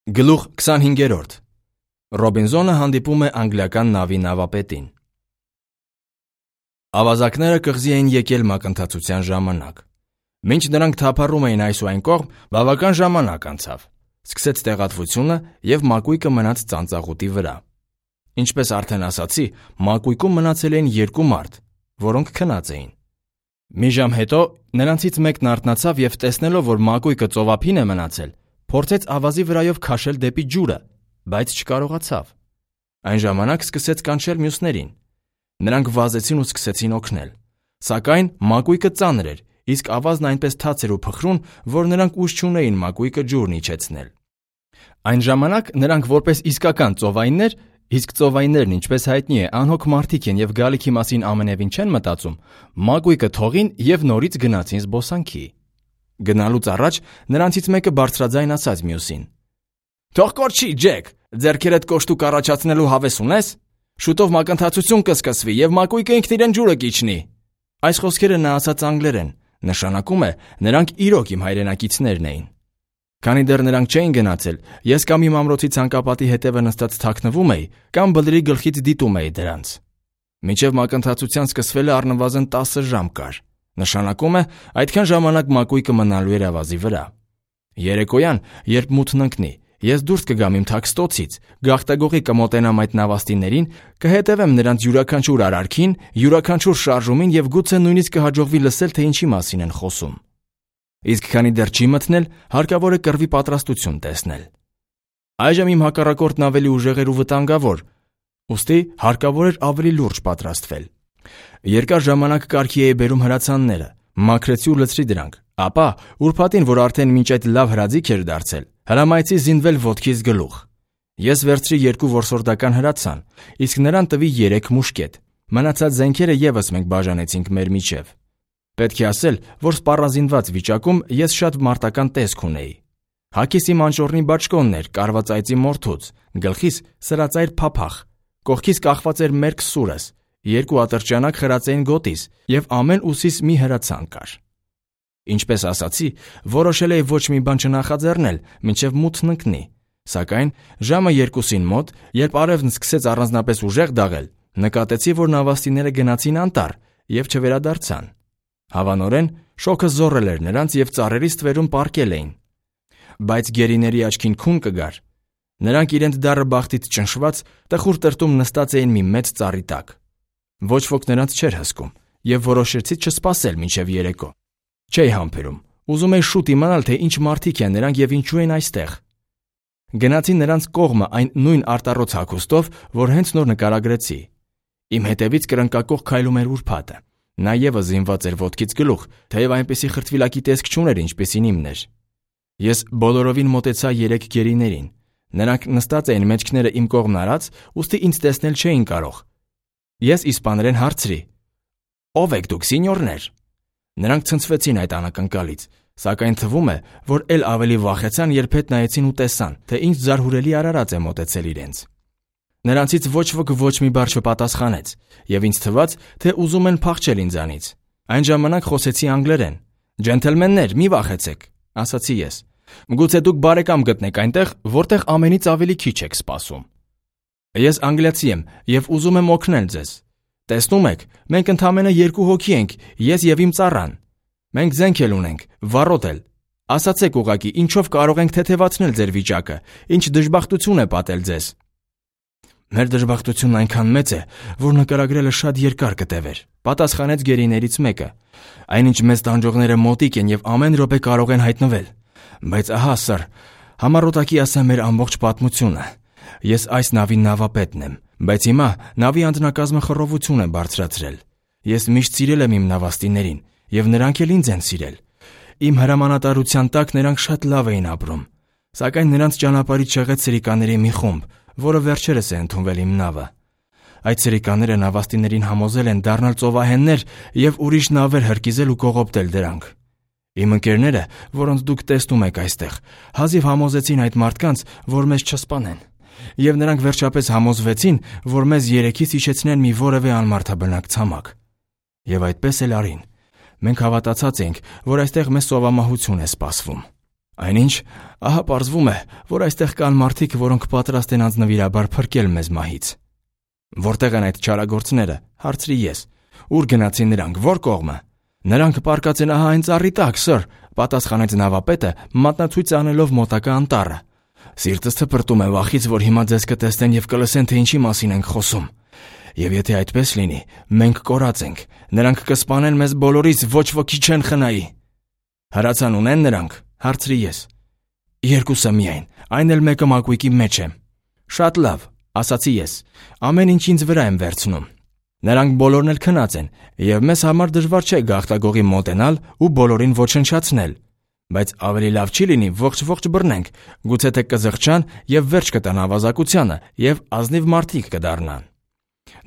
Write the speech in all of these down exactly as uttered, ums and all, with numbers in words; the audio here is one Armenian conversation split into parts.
Գլուխ քսանհինգերորդ. Ռոբինզոնը հանդիպում է անգլիական նավի նավապետին։ Ավազակները կղզի էին եկել մակընթացության ժամանակ։ Մինչ նրանք թափառում էին այս ու այն կողմ, բավական ժամանակ անցավ։ Սկսեց տեղատվությունը և մակույկը մնաց ծանծաղուտի վրա։ Ինչպես արդեն ասացի, մակույկում մնացել էին երկու մարդ, որոնք քնած էին։ Մի ժամ հետո նրանցից մեկն արթնացավ և տեսնելով, որ մակույկը ծովափին է մնացել, փորձեց ավազի վրայով քաշել դեպի ջուրը, բայց չկարողացավ։ Այն ժամանակ սկսեց կանչել մյուսներին։ Նրանք վազեցին ու սկսեցին օգնել։ Սակայն մակույկը ծանր էր, իսկ ավազն այնպես թաց էր ու փխրուն, որ նրանք ուժ չունեին մակույկը ջուրն իջեցնել։ Այն ժամանակ նրանք որպես իսկական ծովայիններ, իսկ ծովայիններն, ինչպես հայտնի է, անհոգ մարդիկ են և գալիքի մասին ամենևին չեն մտածում, մակույկը թողին և նորից գնացին զբոսանքի։ Գնալուց առաջ նրանցից մեկը բարձրաձայն ասաց մյուսին. «Թող կորչի, Ջեք, ձեռքերդ կոշտուկ առաջացնելու հավես ունես։ Շուտով մակընթացություն կսկսվի և մակույկը ինքն իրեն ջուրը կիջնի»։ Այս խոսքերը նա ասաց անգլերեն, նշանակում է նրանք իրոք իմ հայրենակիցներն էին։ Քանի դեռ նրանք չէին գնացել, ես կամ իմ ամրոցի ցանկապատի հետևը նստած թաքնվում էի, կամ բլրի գլխից դիտում էի դրանց։ Մինչև մակընթացության սկսվելը առնվազն տասը ժամ կար։ Նշանակում է, այդքան ժամանակ մակույկը մնալու էր ավազի վրա։ Երեկոյան, երբ մութն ընկնի, ես դուրս կգամ իմ թաքստոցից, գաղտագողի կմոտենամ այդ նավաստիներին, կհետևեմ նրանց յուրաքանչյուր արարքին, յուրաքանչյուր շարժումին և գուցե նույնիսկ կհաջողվի լսել, թե ինչի մասին են խոսում։ Իսկ քանի դեռ չի մթնել, հարկավոր է կռվի պատրաստություն տեսնել։ Այժմ իմ հակառակորդն ավելի ուժեղ էր ու վտանգավոր, ուստի հարկավոր էր ավելի լուրջ պատրաստվել։ Երկար ժամանակ կարգի էի բերում հրացանները, մաքրեցի ու լցրի դրանք, ապա ուրբաթին, որ արդեն մինչ այդ լավ հրաձիգ էր դարձել, հրամայեցի զինվել ոտքից գլուխ։ Ես վերցրի երկու որսորդական հրացան, իսկ նրան տվի երեք մուշկետ։ Մնացած զենքերը ևս մենք բաժանեցինք մեր միջև։ Պետք է ասել, որ սպառազինված վիճակում ես շատ մարտական տեսք ունեի։ Հագիս իմ անճոռնի բաճկոնն էր կարված այծի մորթուց, գլխիս սրածայր փափախ, կողքիս կախված էր մերկ սուրս, երկու ատրճանակ խրած էին գոտիս և ամեն ուսիս մի հրացան կար։ Ինչպես ասացի, որոշել էի ոչ մի բան չնախաձեռնել, մինչև մութն ընկնի, սակայն ժամը երկուսին մոտ, երբ արևն սկսեց առանձնապես ուժեղ դաղել, նկատեցի, որ նավաստիները գնացին անտառ և չվերադարձան։ Հավանորեն, շոգը զոռել էր նրանց և ծառերի ստվերում պառկել էին։ Բայց գերիների աչքին քուն կգար։ Նրանք իրենց դառը բախտից ճնշված տխուր տրտում նստած էին մի մեծ ծառի տակ։ Ոչ ոք նրանց չէր հսկում, և որոշեցի չսպասել մինչև երեկո։ Չէի համբերում, ուզում էի շուտ իմանալ, թե ինչ մարդիկ են նրանք և ինչու են այստեղ։ Գնացի նրանց կողմը այն նույն արտառոց հագուստով, որ հենց նոր նկարագրեցի։ Իմ հետևից կրնկակող քայլում էր ուրբաթը։ Նա ևս զինված էր ոտքից գլուխ, թեև այնպիսի խրտվիլակի տեսք չուներ, ինչպիսին իմն էր։ Ես բոլորովին մոտեցա երեք գերիներին։ Նրանք նստած էին մեջքները իմ կողմն արած, ուստի ինձ տեսնել չէին կարող։ Ես իսպաներեն հարցրի. «Ո՞վ եք դուք, սինյորներ»։ Նրանք ցնցվեցին այդ անակնկալից, սակայն թվում է, որ էլ ավելի վախեցան, երբ հետ նայեցին ու տեսան, թե ինչ զարհուրելի արարած է մոտեցել իրենց։ Նրանցից ոչ ոք ոչ մի բառ չպատասխանեց, և ինձ թվաց, թե ուզում են փախչել ինձանից։ Այն ժամանակ խոսեցի անգլերեն։ «Ջենթլմեններ, մի վախեցեք», ասացի ես։ «Գուցե դուք բարեկամ գտնեք այնտեղ, որտեղ ամենից ավելի քիչ եք սպասում։ Ես անգլիացի եմ և ուզում եմ օգնել ձեզ։ Տեսնում եք, մենք ընդամենը երկու հոգի ենք, ես և իմ ծառան։ Մենք զենք էլ ունենք, վառոդ էլ։ Ասացեք ուղղակի, ինչով կարող ենք թեթևացնել ձեր վիճակը, ինչ դժբախտություն է պատել ձեզ»։ «Մեր դժբախտությունն այնքան մեծ է, որ նկարագրելը շատ երկար կտևեր», պատասխանեց գերիներից մեկը։ «Այնինչ մեզ տանջողները մոտիկ են և ամեն րոպե կարող են հայտնվել։ Բայց ահա, սըր, համառոտակի ասեմ մեր ամբողջ պատմությունը։ Ես այս նավի նավապետն եմ, բայց հիմա նավի անձնակազմը խռովություն է բարձրացրել։ Ես միշտ սիրել եմ իմ նավաստիներին, և նրանք էլ ինձ են սիրել։ Իմ հրամանատարության տակ նրանք շատ լավ էին ապրում, սակայն նրանց ճանապարհից շեղեց սրիկաների մի խումբ, որը վերջերս է ընդունվել իմ նավը։ Այդ սրիկաները նավաստիներին համոզել են դառնալ ծովահեններ և ուրիշ նավեր հրկիզել ու կողոպտել դրանք։ Իմ ընկերները, որոնց դուք տեսնում եք այստեղ, հազիվ համոզեցին այդ մարդկանց, որ մեզ չսպանեն, և նրանք վերջապես համոզվեցին, որ մեզ երեքից իջեցնեն մի որևէ անմարդաբնակ ցամաք։ Եվ այդպես էլ արին։ Մենք հավատացած էինք, որ այստեղ մեզ սովամահություն է սպասվում։ Այնինչ, ահա պարզվում է, որ այստեղ կան մարդիկ, որոնք պատրաստ են անձնվիրաբար փրկել մեզ մահից։ Որտեղ են այդ չարագործները, հարցրի ես։ Ուր գնացին նրանք, որ կողմը։ Նրանք պառկած են ահա այն ծառի տակ, սըր, պատասխանեց նավապետը, մատնացույց անելով մոտակա անտառը։ Սիրտս թպրտում է վախից, որ հիմա ձեզ կտեսնեն եւ կլսեն, թե ինչի մասին ենք խոսում։ Եվ եթե այդպես լինի, մենք կորած ենք, նրանք կսպանեն մեզ բոլորից, ոչ ոքի չեն խնայի։ Հրացան ունեն նրանք, հարցրի ես։ Երկուսը միայն, այն էլ մեկը մակույկի մեջ է։ Շատ լավ, ասացի ես, ամեն ինչ ինձ վրա եմ վերցնում։ Նրանք բոլորն էլ քնած են, եւ մեզ համար դժվար չէ գաղտագողի մոտենալ ու բոլորին ոչնչացնել։ Բայց ավելի լավ չի լինի ողջ-ողջ բռնենք, գուցե թե կզղջան եւ վերջ կտան ավազակությանը եւ ազնիվ մարդիկ կդառնան։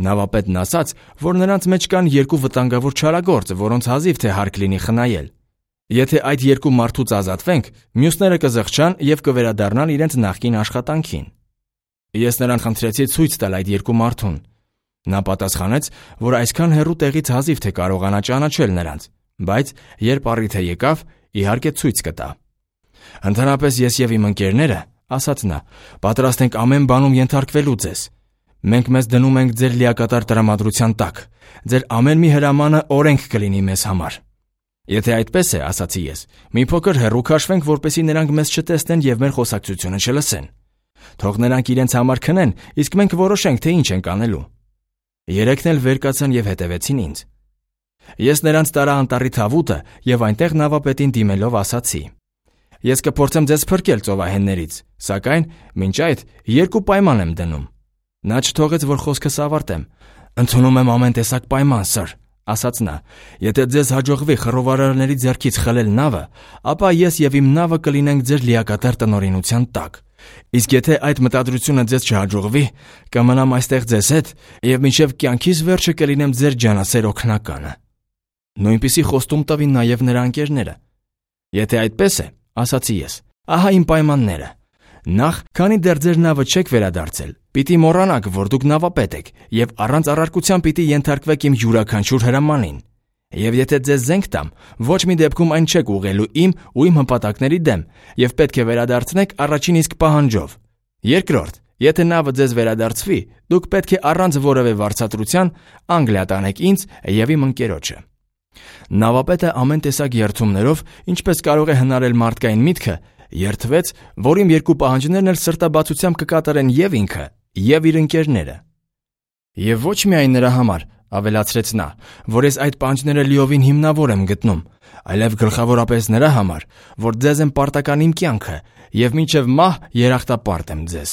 Նավապետն ասաց, որ նրանց մեջ կան երկու վտանգավոր չարագործ, որոնց հազիվ թե հարկ լինի խնայել։ Եթե այդ երկու մարդուց ազատվենք, մյուսները կզղջան եւ կվերադառնան իրենց նախկին աշխատանքին։ Ես նրան խնդրեցի ցույց տալ այդ երկու մարդուն։ Նա պատասխանեց, որ այսքան հեռու տեղից հազիվ թե կարողանա ճանաչել նրանց, բայց երբ առիթը եկավ, իհարկե ցույց կտա։ Ընդհանրապես ես եւ իմ ընկերները, ասաց նա, պատրաստ ենք ամեն բանում ենթարկվելու ձեզ։ Մենք մեզ դնում ենք ձեր լիակատար տրամադրության տակ։ Ձեր ամեն մի հրամանը օրենք կլինի մեզ համար։ Եթե այդպես է, ասացի ես, մի փոքր հեռու քաշվենք, որպեսզի նրանք մեզ չտեսնեն եւ մեր խոսակցությունը չլսեն։ Թող նրանք իրենց համար քնեն, իսկ մենք որոշենք, թե ինչ ենք անելու։ Երեքն էլ վեր կացան եւ հետևեցին ինձ։ Ես նրանց տարա անտառի թավուտը եւ այնտեղ նավապետին դիմելով ասացի. Ես կփորձեմ ձեզ փրկել ծովահեններից, սակայն մինչ այդ երկու պայման եմ դնում։ Նա չթողեց, որ խոսքս ավարտեմ։ Ընդունում եմ ամեն տեսակ պայման, սըր, ասաց նա։ Եթե ձեզ հաջողվի խռովարարների ձեռքից խլել նավը, ապա ես եւ իմ նավը կլինենք ձեր լիակատար տնօրինության տակ։ Իսկ եթե այդ մտադրությունը ձեզ չհաջողվի, կմնամ այստեղ ձեզ հետ եւ մինչեւ կյանքիս վերջը կլինեմ ձեր ջանասեր օգնականը։ Նույնպիսի խոստում տվին նաեւ նրա ընկերները։ Եթե այդպես է, ասացի ես, ահա իմ պայմանները։ Նախ, քանի դեռ ձեր նավը չեք վերադարձել, պիտի մոռանաք, որ դուք նավապետ եք եւ առանց առարկության պիտի ենթարկվեք իմ յուրաքանչյուր հրամանին։ Եվ եթե ձեզ զենք տամ, ոչ մի դեպքում այն չեք ուղղելու իմ ու իմ հպատակների դեմ եւ պետք է վերադարձնեք առաջին իսկ պահանջով։ Երկրորդ, եթե նավը ձեզ վերադարձվի, դուք պետք է առանց որևէ վարձատրության Անգլիա տանեք ինձ եւ իմ ընկերոջը։ Նավապետը ամեն տեսակ երթումներով, ինչպես կարող է հնարել մարդկային միտքը, երթվեց, որ իմ երկու պահանջներն էլ սրտաբացությամբ կկատարեն եւ ինքը, եւ իր ընկերները։ Եվ ոչ միայն նրա համար, ավելացրեց նա, որ ես այդ պահանջները լիովին հիմնավոր եմ գտնում, այլև գլխավորապես նրա համար, որ ձեզ եմ պարտական իմ կյանքը եւ մինչեւ մահ երախտապարտ եմ ձեզ։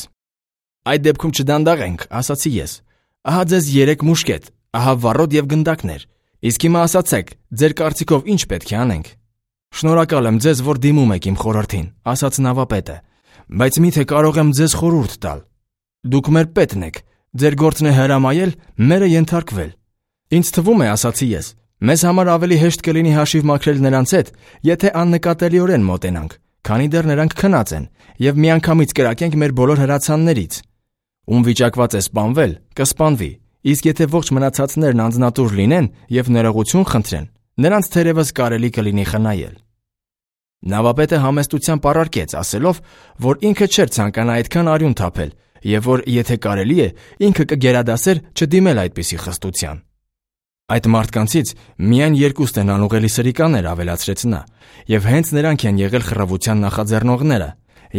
Այդ դեպքում չդանդաղենք, ասացի ես։ Ահա ձեզ երեք մուշկետ, ահա վառոդ եւ գնդակներ։ Իսկ հիմա ասացեք, ձեր կարծիքով ինչ պետք է անենք։ Շնորհակալ եմ ձեզ, որ դիմում եք իմ խորհրդին, ասաց նավապետը, բայց միթե կարող եմ ձեզ խորհուրդ տալ։ Դուք մեր պետն եք, ձեր գործն է հրամայել, մերը ենթարկվել։ Ինձ թվում է, ասացի ես, մեզ համար ավելի հեշտ կլինի հաշիվ մաքրել նրանց հետ, եթե աննկատելիորեն մոտենանք, քանի դեռ նրանք քնած են, եւ միանգամից կրակենք մեր բոլոր հրացաններից։ Ում վիճակված է սպանվել, կսպանվի, իսկ եթե ողջ մնացածներն անձնատուր լինեն եւ ներողություն խնդրեն, նրանց թերևս կարելի կլինի խնայել։ Նավապետը համեստությամբ առարկեց, ասելով, որ ինքը չէր ցանկանա այդքան արյուն թափել եւ որ եթե կարելի է, ինքը կգերադասեր չդիմել այդպիսի խստության։ Այդ մարդկանցից միայն երկուսն են անուղելի սրիկաներ, ավելացրեց նա, եւ հենց նրանք են եղել խռովության նախաձեռնողները։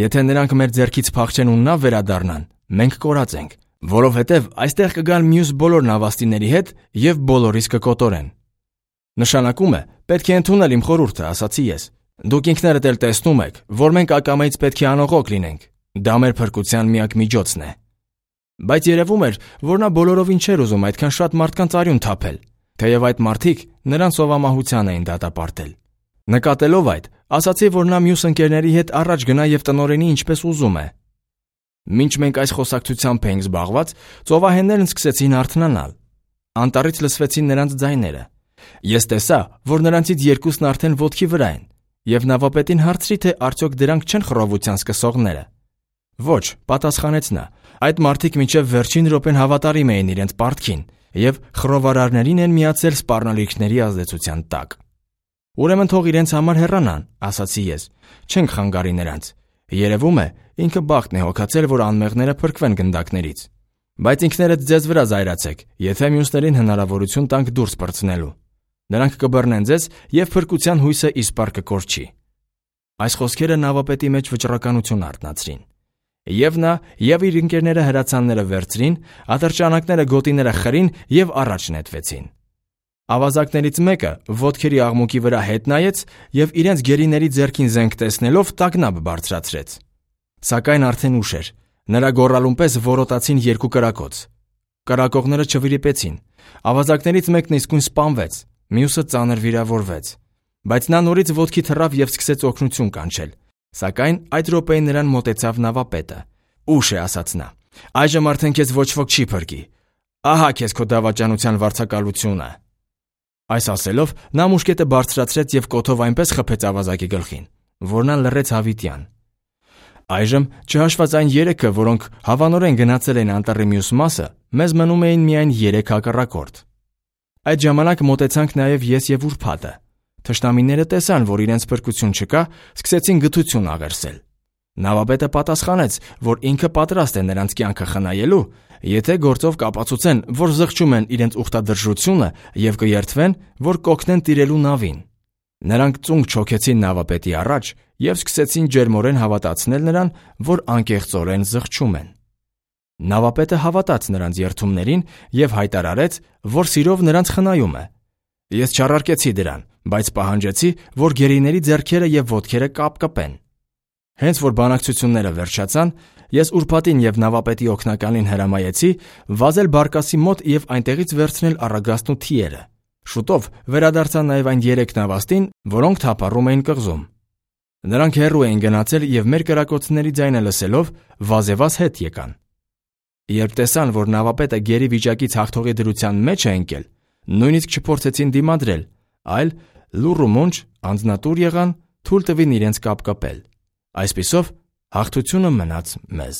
Եթե նրանք մեր ձեռքից փախչեն ու նավ վերադառնան, մենք կորած ենք, որովհետեւ այստեղ կգան մյուս բոլոր նավաստիների հետ եւ բոլորիս կկոտորեն։ Նշանակում է, պետք է ընդունել իմ խորհուրդը, ասացի ես։ Դուք ինքներդ էլ տեսնում եք, որ մենք ակամայից պետք է անողոք լինենք։ Դա մեր փրկության միակ միջոցն է։ Բայց երևում էր, որ նա բոլորովին չէր ուզում այդքան շատ մարդկանց արյուն թափել, թեև այդ մարդիկ նրան սովամահության էին դատապարտել։ Նկատելով այդ, ասացի, որ նա մյուս ընկերների հետ առաջ գնա եւ տնօրենի ինչպես ուզում է։ Մինչ մենք այս խոսակցությամբ էինք զբաղված, ծովահեններն սկսեցին արթնանալ։ Անտառից լսվեցին նրանց ձայները։ Ես տեսա, որ նրանցից երկուսն արդեն ոտքի վրա են, եւ նավապետին հարցրի, թե արդյոք դրանք չեն խռովության սկսողները։ Ոչ, պատասխանեց նա, այդ մարդիկ մինչև վերջին րոպեն հավատարիմ էին իրենց պարտքին եւ խռովարարներին են միացել սպառնալիքների ազդեցության տակ։ Ուրեմն թող իրենց համար հեռանան, ասացի ես, չենք խանգարի նրանց։ Երևում է, ինքը բախտն է հոգացել, որ անմեղները փրկվեն գնդակներից։ Բայց ինքներդ ձեզ վրա զայրացեք, եթե մյուսներին հնարավորություն տանք դուրս պրծնելու։ Նրանք կբռնեն ձեզ և փրկության հույսը իսպառ կկորչի։ Այս խոսքերը նավապետի մեջ վճռականություն արթնացրին։ Եվ նա, և իր ընկերները հրացանները վերցրին, ատրճանակները գոտիները խրին և առաջ նետվեցին։ Ավազակներից մեկը ոտքերի աղմուկի վրա հետ նայեց և իրենց գերիների ձեռքին զենք տեսնելով տագնապ բարձրացրեց։ Սակայն արդեն ուշ էր, նրա գոռալուն պես որոտացին երկու կրակոց։ Կրակողները չվրիպեցին, ավազակներից մեկն իսկույն սպանվեց, մյուսը ծանր վիրավորվեց։ Բայց նա նորից ոտքի թռավ և սկսեց օգնություն կանչել, սակայն այդ րոպեին նրան մոտեցավ նավապետը։ «Ուշ է», ասաց նա, «այժմ արդեն քեզ ոչ ոք չի փրկի։ Ահա քեզ քո դավաճանության վարձակալությունը»։ Այս ասելով նա մուշկետը բարձրացրեց և կոթով այնպես խփեց ավազակի գլխին, որ նա լռեց հավիտյան։ Այժմ, չհաշված այն երեքը, որոնք հավանորեն գնացել էին անտառի մյուս մասը, մեզ մնում էին միայն երեք հակառակորդ։ Այդ ժամանակ մոտեցանք նաև ես և ուրբաթը։ Թշնամիները տեսան, որ իրենց փրկություն չկա, սկսեցին գթություն աղերսել։ Նավապետը պատասխանեց, որ ինքը պատրաստ է նրանց կյանքը խնայելու, եթե գործով կապացուցեն, որ զղջում են իրենց ուխտադրժությունը և կերթվեն, որ կօգնեն տիրելու նավին։ Նրանք ծունկ չոքեցին նավապետի առաջ և սկսեցին ջերմորեն հավատացնել նրան, որ անկեղծորեն զղջում են։ Նավապետը հավատաց նրանց երդումներին և հայտարարեց, որ սիրով նրանց խնայում է։ Ես չառարկեցի դրան, բայց պահանջեցի, որ գերիների ձեռքերը և ոտքերը կապկպեն։ Հենց որ բանակցությունները վերջացան, ես ուրբաթին և նավապետի օգնականին հրամայեցի վազել բարկասի մոտ և այնտեղից վերցնել առագաստն ու թիերը։ Շուտով վերադարձան նաև այն երեք նավաստին, որոնք թափառում էին կղզում։ Նրանք հեռու էին գնացել և մեր կրակոցների ձայնը լսելով վազևազ հետ եկան։ Երբ տեսան, որ նավապետը գերի վիճակից հաղթողի դրության մեջ է ընկել, նույնիսկ չփորձեցին դիմադրել, այլ լուռ ու մոնջ անձնատուր եղան, թույլ տվին իրենց կապկպել։ Այսպիսով հաղթությունը մնաց մեզ։